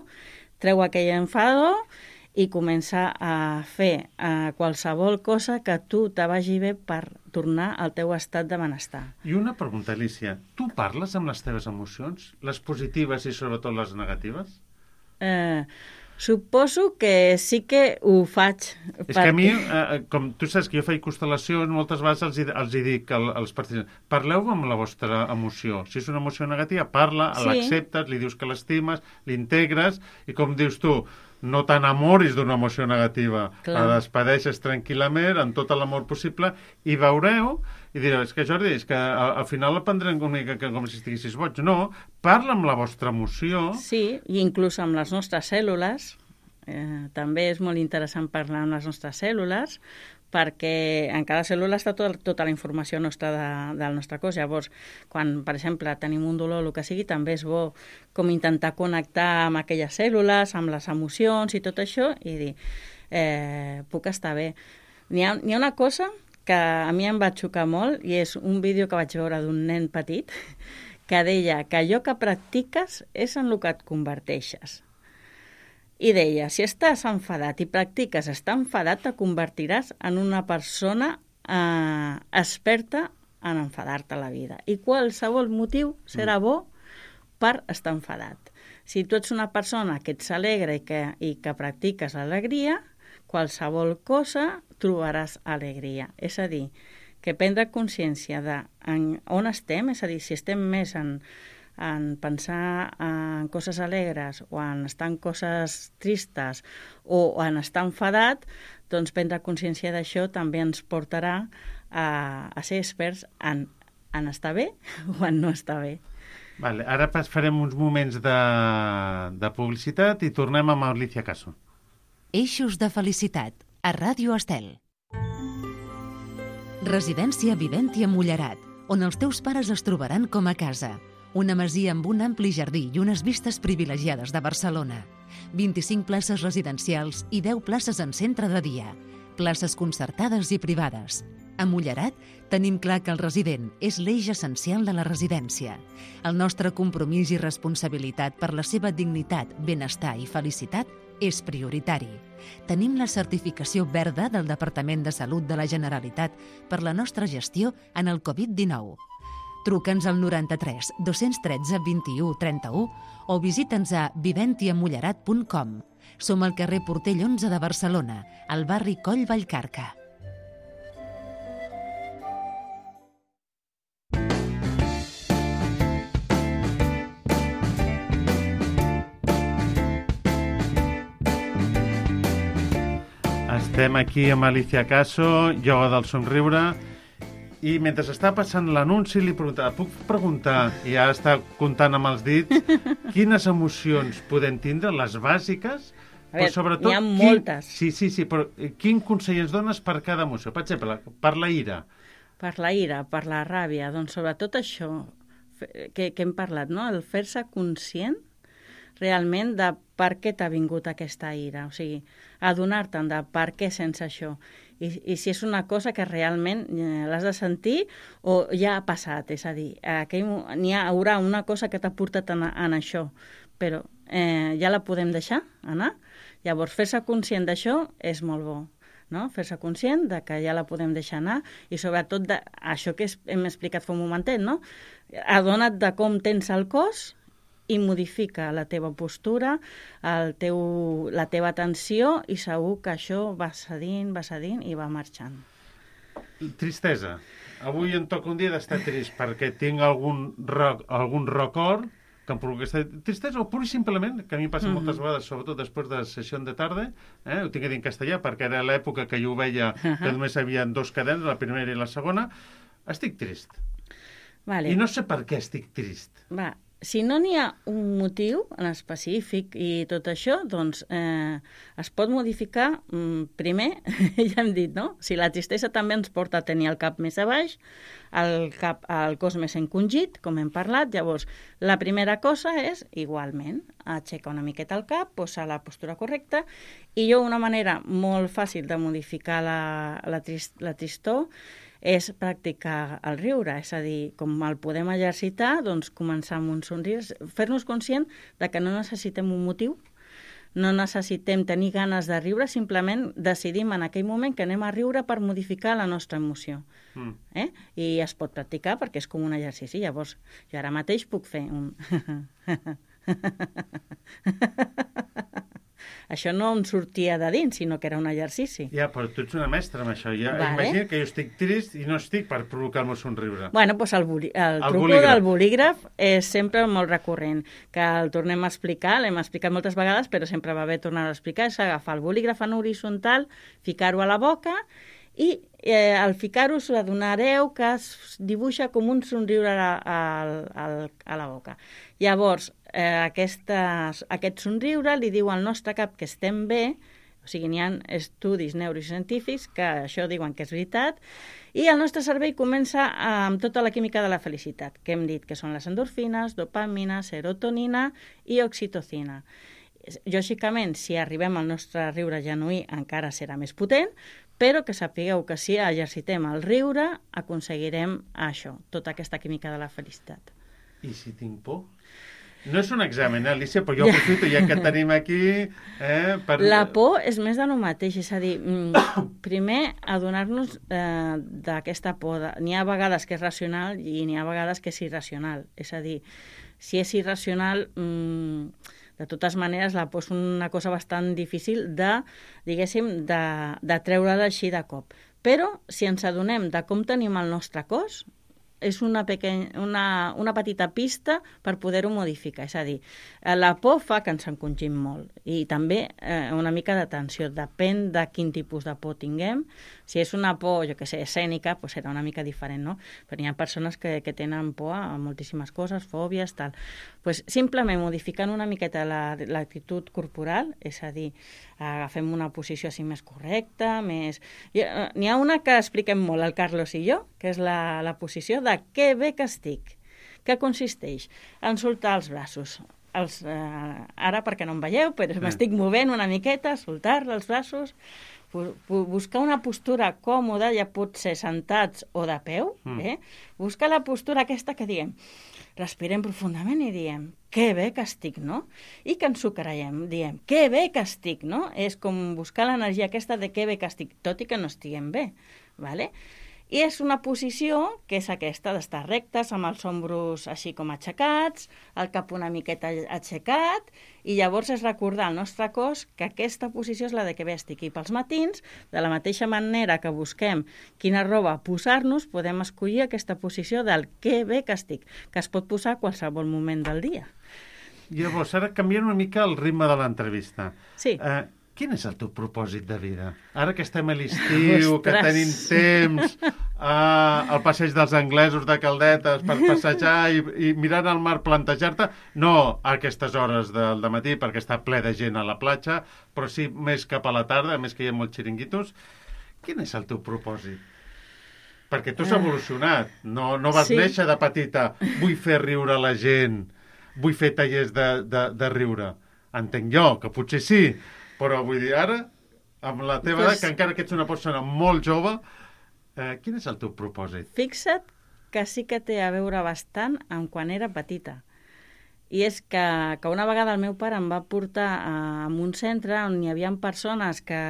treu aquell enfado i comença a fer a qualsevol cosa que tu te vagi bé per tornar al teu estat de benestar. I una pregunta, Alicia, tu parles amb les teves emocions, les positives i sobretot les negatives? Eh... Suposo que sí que ho faig. És perquè... que a mi, eh, com tu saps que jo faig constel·lacions, moltes vegades els, els hi dic al, als participants, parleu amb la vostra emoció. Si és una emoció negativa, parla, sí. L'acceptes, li dius que l'estimes, l'integres, i com dius tu, no t'enamoris d'una emoció negativa. Clar. La despedeixes tranquil·lament, amb tot l'amor possible, i veureu, i direu, és que Jordi, és que al, al final la prendrem una mica com si estiguessis boig. No, parla amb la vostra emoció. Sí, i inclús amb les nostres cèl·lules, Eh, també és molt interessant parlar amb les nostres cèl·lules, perquè en cada cèl·lula està tot, tota la informació nostra de, del nostre cos. Llavors, quan, per exemple, tenim un dolor o el que sigui, també és bo com intentar connectar amb aquelles cèl·lules, amb les emocions i tot això, i dir, eh, puc estar bé. N'hi ha, n'hi ha una cosa que a mi em va xocar molt, i és un vídeo que vaig veure d'un nen petit, que deia que allò que practiques és en el que et converteixes. I deia, si estàs enfadat i practiques estar enfadat, te convertiràs en una persona eh, experta en enfadar-te a la vida. I qualsevol motiu serà bo per estar enfadat. Si tu ets una persona que ets alegre i que, i que practiques l'alegria, qualsevol cosa trobaràs alegria. És a dir, que prendre consciència de en on estem, és a dir, si estem més en, en pensar en coses alegres o en estar en coses tristes o en estar enfadat, doncs prendre consciència d'això també ens portarà a, a ser experts en, en estar bé o en no estar bé. Vale, ara farem uns moments de, de publicitat i tornem amb Alicia Caso. Eixos de felicitat, a Ràdio Estel. Residència Viventi a Mullerat, on els teus pares es trobaran com a casa. Una masia amb un ampli jardí i unes vistes privilegiades de Barcelona. vint-i-cinc places residencials i deu places en centre de dia. Places concertades i privades. A Mullerat tenim clar que el resident és l'eix essencial de la residència. El nostre compromís i responsabilitat per la seva dignitat, benestar i felicitat és prioritari. Tenim la certificació verda del Departament de Salut de la Generalitat per la nostra gestió en el covid dinou. Truca'ns al noranta-tres dos-cents tretze vint-i-u trenta-u o visita'ns a viventiamullerat punt com. Som al carrer Portell onze de Barcelona, al barri Coll Vallcarca. Estem aquí amb Alicia Caso, ioga del somriure, i mentre està passant l'anunci li preguntava, puc preguntar, i ara està comptant amb els dits, quines emocions podem tindre, les bàsiques, a veure, però sobretot... n'hi ha moltes. Quin, sí, sí, sí, però quin consell ens dones per cada emoció? Per exemple, per la ira. Per la ira, per la ràbia, doncs sobretot això que, que hem parlat, no? El fer-se conscient realment de per què t'ha vingut aquesta ira, o sigui, adonar-te'n de per què sents això, I, i si és una cosa que realment eh, l'has de sentir o ja ha passat, és a dir, aquell, n'hi ha, haurà una cosa que t'ha portat en, en això, però eh, ja la podem deixar anar. Llavors, fer-se conscient d'això és molt bo, no? Fer-se conscient de que ja la podem deixar anar i sobretot de, això que hem explicat fa un momentet, no? Adona't de com tens el cos i modifica la teva postura, el teu, la teva atenció i segur que això va cedint, va cedint i va marxant. Tristesa. Avui em toca un dia d'estar trist perquè tinc algun, roc, algun record que em provoca aquesta tristesa o pur i simplement, que a mi passa mm-hmm. moltes vegades, sobretot després de sessió de tarda, eh? Ho tinc a dir en castellà perquè era l'època que jo ho veia uh-huh. que només hi havia dos cadenes, la primera i la segona. Estic trist. Vale. I no sé per què estic trist. Va. Si no n'hi ha un motiu en específic i tot això, doncs eh, es pot modificar. Mm, primer, ja hem dit, no? Si la tristesa també ens porta a tenir el cap més a baix, el, cap, el cos més encongit, com hem parlat, llavors la primera cosa és, igualment, aixecar una miqueta el cap, posar la postura correcta, i jo una manera molt fàcil de modificar la, la, trist, la tristor és practicar el riure, és a dir, com el podem exercitar, doncs començar amb un somriure, fer-nos conscient de que no necessitem un motiu, no necessitem tenir ganes de riure, simplement decidim en aquell moment que anem a riure per modificar la nostra emoció. Mm. Eh? I es pot practicar perquè és com un exercici. Llavors, jo ara mateix puc fer un... Això no em sortia de dins, sinó que era un exercici. Ja, però tu ets una mestra amb això. Ja, vale. Imagina que jo estic trist i no estic per provocar el meu somriure. Bueno, doncs el, boli, el, el truco bolígraf. del bolígraf és sempre molt recurrent, que el tornem a explicar, l'hem explicat moltes vegades, però sempre va bé tornar a explicar, és agafar el bolígraf en horitzontal, ficar-ho a la boca i eh, al ficar-ho us adonareu que es dibuixa com un somriure a, a, a, a la boca. Llavors, eh, aquestes, aquest somriure li diu al nostre cap que estem bé, o sigui, n'hi ha estudis neurocientífics que això diuen que és veritat, i el nostre cervell comença amb tota la química de la felicitat, que hem dit que són les endorfines, dopamina, serotonina i oxitocina. Lògicament, si arribem al nostre riure genuí, encara serà més potent, però que sapigueu que si exercitem el riure, aconseguirem això, tota aquesta química de la felicitat. I si tinc por? No és un examen, eh, Alicia, però jo aprofito ja que tenim aquí... Eh, per... La por és més de lo mateix, és a dir, primer adonar-nos eh, d'aquesta por. De... N'hi ha vegades que és racional i n'hi ha vegades que és irracional. És a dir, si és irracional, mmm, de totes maneres, la por és una cosa bastant difícil de, diguéssim, de, de treure-la així de cop. Però, si ens adonem de com tenim el nostre cos, és una, pequeny... una, una petita pista per poder-ho modificar. És a dir, la por fa que ens encongim molt i també eh, una mica d'atenció. Depèn de quin tipus de por tinguem. Si és una por, jo que sé, escènica, doncs serà una mica diferent, no? Però hi ha persones que, que tenen por a moltíssimes coses, fòbies, tal. Pues simplement modificant una miqueta l'actitud la, corporal, és a dir, agafem una posició així més correcta, més... N'hi ha una que expliquem molt, el Carlos i jo, que és la, la posició de que bé que estic. Què consisteix? En soltar els braços. Els, eh, ara, perquè no em veieu, però mm. m'estic movent una miqueta, soltar els braços, buscar una postura còmoda, ja pot ser sentats o de peu, mm. eh? Buscar la postura aquesta que diem, respirem profundament i diem, que bé que estic, no? I que ens ho creiem, diem, que bé que estic, no? És com buscar l'energia aquesta de que bé que estic, tot i que no estiguem bé, ¿vale? I és una posició que és aquesta, d'estar rectes, amb els ombros així com aixecats, el cap una miqueta aixecat, i llavors és recordar al nostre cos que aquesta posició és la de que bé estic. I pels matins, de la mateixa manera que busquem quina roba posar-nos, podem escollir aquesta posició del que bé que estic, que es pot posar a qualsevol moment del dia. Llavors, ara canviant una mica el ritme de l'entrevista. Sí. Eh, Quin és el teu propòsit de vida? Ara que estem a l'estiu, que tenim temps, uh, al passeig dels anglesos de Caldetes per passejar i, i mirant al mar, plantejar-te, no a aquestes hores del dematí perquè està ple de gent a la platja, però sí més cap a la tarda, més que hi ha molts xiringuitos. Quin és el teu propòsit? Perquè tu has evolucionat, no, no vas sí. néixer de petita, vull fer riure la gent, vull fer tallers de, de, de riure. Entenc jo, que potser sí, però vull dir, ara, amb la teva pues, edat, que encara que ets una persona molt jove, eh, quin és el teu propòsit? Fixa't que sí que té a veure bastant amb quan era petita. I és que, que una vegada el meu pare em va portar a, a un centre on hi havia persones que,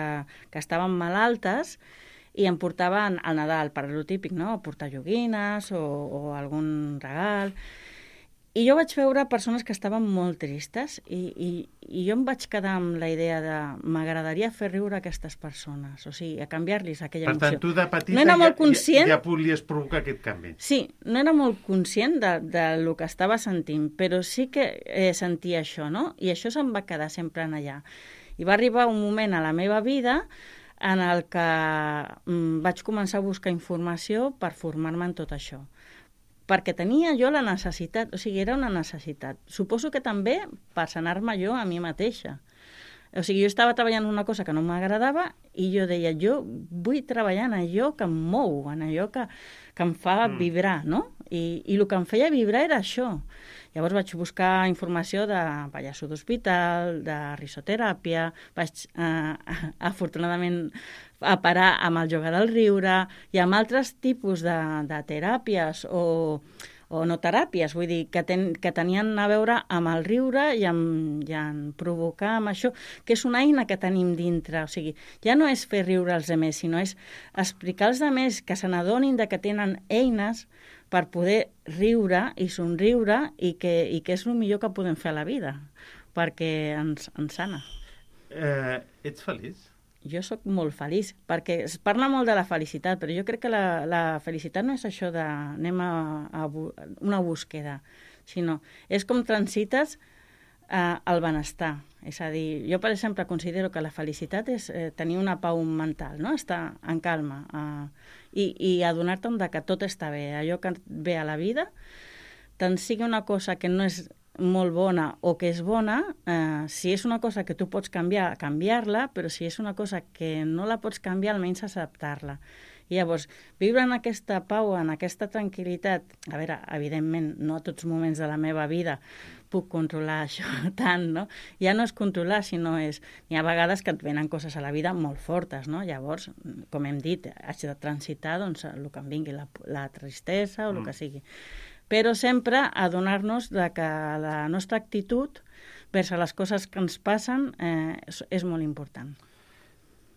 que estaven malaltes i em portaven al Nadal, per lo típic, no? Portar joguines o, o algun regal. I jo vaig veure persones que estaven molt tristes i, i, i jo em vaig quedar amb la idea de m'agradaria fer riure aquestes persones, o sigui, a canviar-los aquella emoció. Per tant, tu de petita no ja, conscient... ja, ja volies provocar aquest canvi. Sí, no era molt conscient de, de lo que estava sentint, però sí que eh, sentia això, no? I això se'm va quedar sempre en allà. I va arribar un moment a la meva vida en el que mm, vaig començar a buscar informació per formar-me en tot això. Perquè tenia jo la necessitat, o sigui, era una necessitat. Suposo que també per sanar-me jo a mi mateixa. O sigui, jo estava treballant una cosa que no m'agradava i jo deia, jo vull treballar en allò que em mou, en allò que, que em fa mm. vibrar, no? I, I el que em feia vibrar era això. Llavors vaig buscar informació de pallasso d'hospital, de risoteràpia, vaig, eh, afortunadament, a parar amb el jogar del riure i amb altres tipus de, de teràpies o, o no teràpies, vull dir, que, ten, que tenien a veure amb el riure i amb, i amb provocar amb això, que és una eina que tenim dintre. O sigui, ja no és fer riure als altres, sinó és explicar als altres que se n'adonin que tenen eines per poder riure i somriure i que, i que és el millor que podem fer a la vida, perquè ens, ens sana. Eh, ets feliç? Jo sóc molt feliç, perquè es parla molt de la felicitat, però jo crec que la, la felicitat no és això de anem a, a una búsqueda, sinó és com transites eh, el benestar. És a dir, jo, per exemple, considero que la felicitat és eh, tenir una pau mental, no? Estar en calma eh, i, i adonar-te'n que tot està bé, allò que ve a la vida, tant sigui una cosa que no és molt bona o que és bona, eh, si és una cosa que tu pots canviar, canviar-la, però si és una cosa que no la pots canviar, almenys acceptar-la. I llavors, viure en aquesta pau, en aquesta tranquil·litat, a veure, evidentment, no a tots moments de la meva vida puc controlar això tant, no? Ja no és controlar, sinó és... Hi ha vegades que et venen coses a la vida molt fortes, no? Llavors, com hem dit, haig de transitar doncs, el que em vingui, la, la tristesa o el mm. que sigui. Però sempre adonar-nos de que la nostra actitud vers a les coses que ens passen eh, és, és molt important.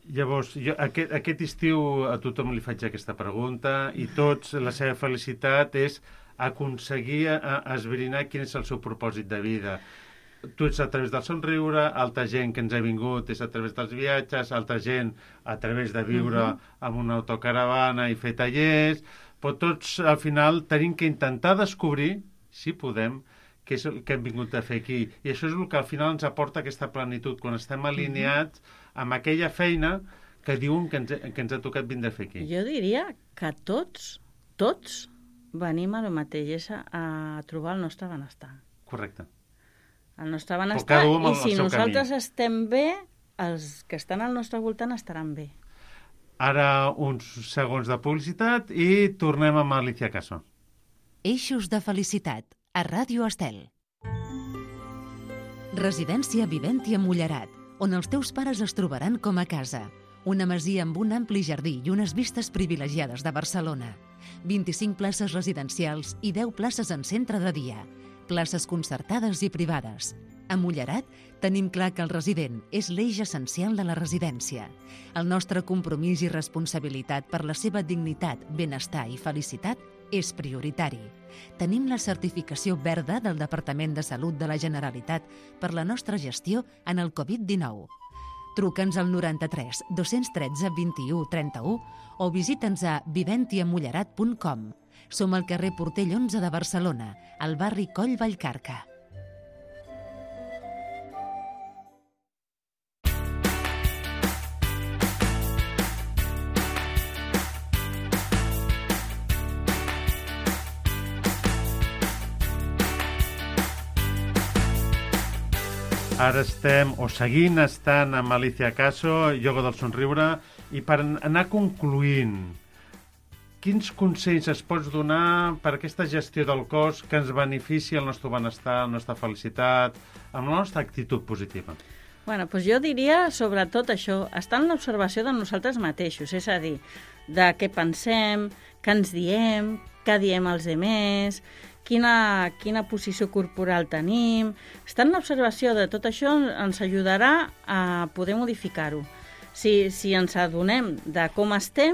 Llavors, jo, aquest, aquest estiu a tothom li faig aquesta pregunta i tots, la seva felicitat és aconseguir a, a esbrinar quin és el seu propòsit de vida. Tu ets a través del somriure, altra gent que ens ha vingut és a través dels viatges, altra gent a través de viure uh-huh. amb una autocaravana i fer tallers, però tots al final tenim que intentar descobrir, si podem, què és el que hem vingut a fer aquí. I això és el que al final ens aporta aquesta plenitud, quan estem alineats amb aquella feina que diuen que ens, que ens ha tocat vindre a fer aquí. Jo diria que tots, tots venim a lo mateix, és a, a trobar el nostre benestar. Correcte. El nostre benestar, i si nosaltres camí. estem bé, els que estan al nostre voltant estaran bé. Ara uns segons de publicitat i tornem amb Alicia Caso. Eixos de felicitat, a Ràdio Estel. Residència Viventi a Mullerat, on els teus pares es trobaran com a casa. Una masia amb un ampli jardí i unes vistes privilegiades de Barcelona. vint-i-cinc places residencials i deu places en centre de dia. Places concertades i privades. A Mullerat tenim clar que el resident és l'eix essencial de la residència. El nostre compromís i responsabilitat per la seva dignitat, benestar i felicitat és prioritari. Tenim la certificació verda del Departament de Salut de la Generalitat per la nostra gestió en el covid dinou. Truca'ns al noranta-tres dos-cents tretze vint-i-u trenta-u o visita'ns a viventiamullerat punt com. Som al carrer Portell onze de Barcelona, al barri Coll Vallcarca. Ara estem, o seguint estant amb Alicia Caso, Ioga del Somriure, i per anar concluint, quins consells es pots donar per aquesta gestió del cos que ens beneficia el nostre benestar, la nostra felicitat, amb la nostra actitud positiva? Bueno, doncs jo diria, sobretot això, estar en l'observació de nosaltres mateixos, és a dir, de què pensem, què ens diem, què diem als altres, quina, quina posició corporal tenim. Estar en l'observació de tot això ens ajudarà a poder modificar-ho. Si, si ens adonem de com estem,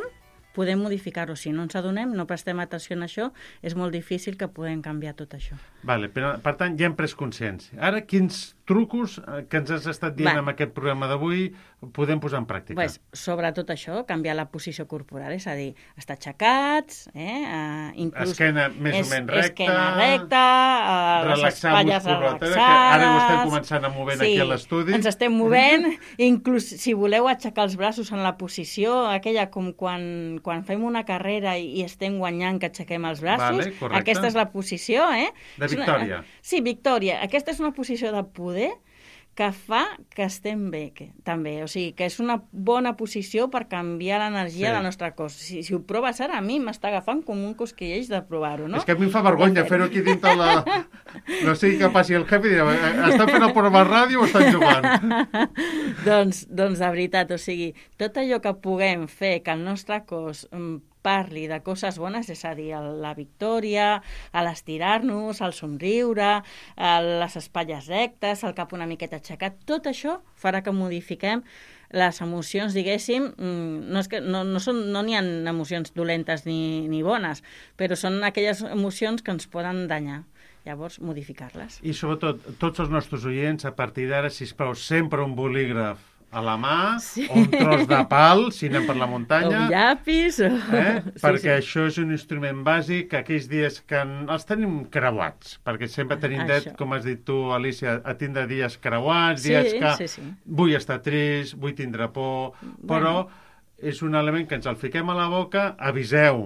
podem modificar-ho. Si no ens adonem, no prestem atenció en això, és molt difícil que puguem canviar tot això. Vale, però, per tant, ja hem pres consciència. Ara, quins trucos que ens has estat dient Va. amb aquest programa d'avui podem posar en pràctica? Pues, sobretot això, canviar la posició corporal, és a dir, estar aixecats, eh? Uh, inclús esquena més es, o menys recta, esquena recta, uh, les espatlles relaxades. Ara ho estem començant a movent sí, aquí a l'estudi. Ens estem movent, inclús si voleu aixecar els braços en la posició, aquella com quan, quan fem una carrera i, i estem guanyant que aixequem els braços, vale, aquesta és la posició, eh? De victòria. Una, sí, victòria. Aquesta és una posició de poder que fa que estem bé, que, també. O sigui, que és una bona posició per canviar l'energia sí. del nostre cos. Si, si ho proves ara, a mi m'està agafant com un cosquilleix de provar-ho, no? És que a mi em fa vergonya fer-ho aquí dintre la... No sé què passi el jefe i dirà, estan fent el programa de ràdio o estan jugant? doncs, doncs, de veritat, o sigui, tot allò que puguem fer que el nostre cos parli de coses bones, és a dir, la victòria, l'estirar-nos, el somriure, les espatlles rectes, el cap una miqueta aixecat, tot això farà que modifiquem les emocions, diguéssim, no, és que, no, no, són, no n'hi ha emocions dolentes ni, ni bones, però són aquelles emocions que ens poden danyar. Llavors, modificar-les. I sobretot, tots els nostres oients, a partir d'ara, sisplau, sempre un bolígraf a la mà, sí. o un tros de pal, si anem per la muntanya. O un llapis. O... Eh? Sí, perquè sí. això és un instrument bàsic que aquells dies que els tenim creuats, perquè sempre tenim dret, com has dit tu, Alicia, a tindre dies creuats, sí, dies que sí, sí. vull estar trist, vull tindre por, bueno. però és un element que ens el fiquem a la boca, aviseu,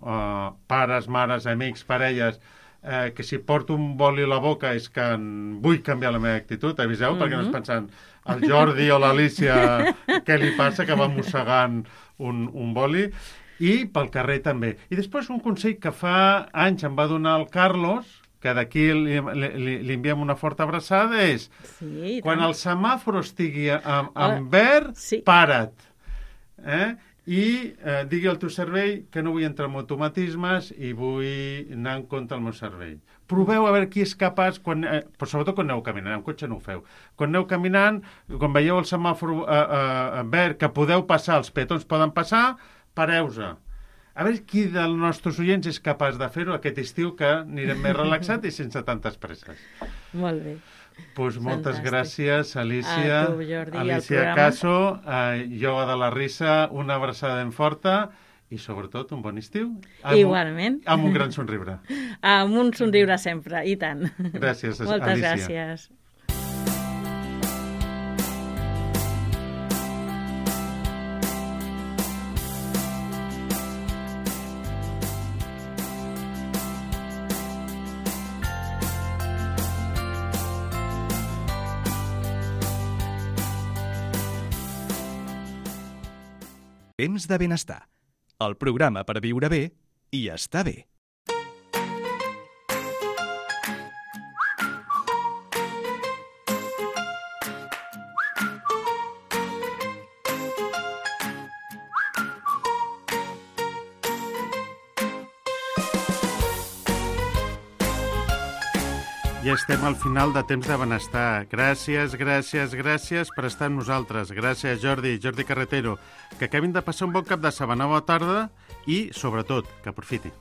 uh, pares, mares, amics, parelles, eh, que si porto un boli a la boca és que en vull canviar la meva actitud, aviseu, mm-hmm. perquè no és pensant al Jordi o l'Alícia què li passa, que va mossegant un, un boli, i pel carrer també. I després un consell que fa anys em va donar el Carlos, que d'aquí li, li, li enviem una forta abraçada, és sí, quan tant. el semàfor estigui en, en verd, sí. para't. Eh? I eh, digui al teu cervell que no vull entrar en automatismes i vull anar en compte al meu cervell. Proveu a veure qui és capaç, quan, eh, però sobretot quan aneu caminant, en cotxe no ho feu. Quan aneu caminant, quan veieu el semàfor eh, eh, verd, que podeu passar, els peatons poden passar, pareu-se. A veure qui dels nostres oients és capaç de fer-ho aquest estiu, que anirem més relaxat i sense tantes presses. Molt bé. Pues moltes gràcies, Alícia. A tu, Jordi, Alícia Caso, eh, Ioga de la Risa, una abraçada ben forta i, sobretot, un bon estiu. Amb Igualment. Un, amb un gran somriure. Amb un somriure sempre, i tant. Gràcies, Moltes Alícia. gràcies. Temps de benestar. El programa per viure bé i estar bé. Ja estem al final de Temps de Benestar. Gràcies, gràcies, gràcies per estar amb nosaltres. Gràcies, Jordi, Jordi Carretero. Que acabin de passar un bon cap de setmana, bona tarda i, sobretot, que aprofiti.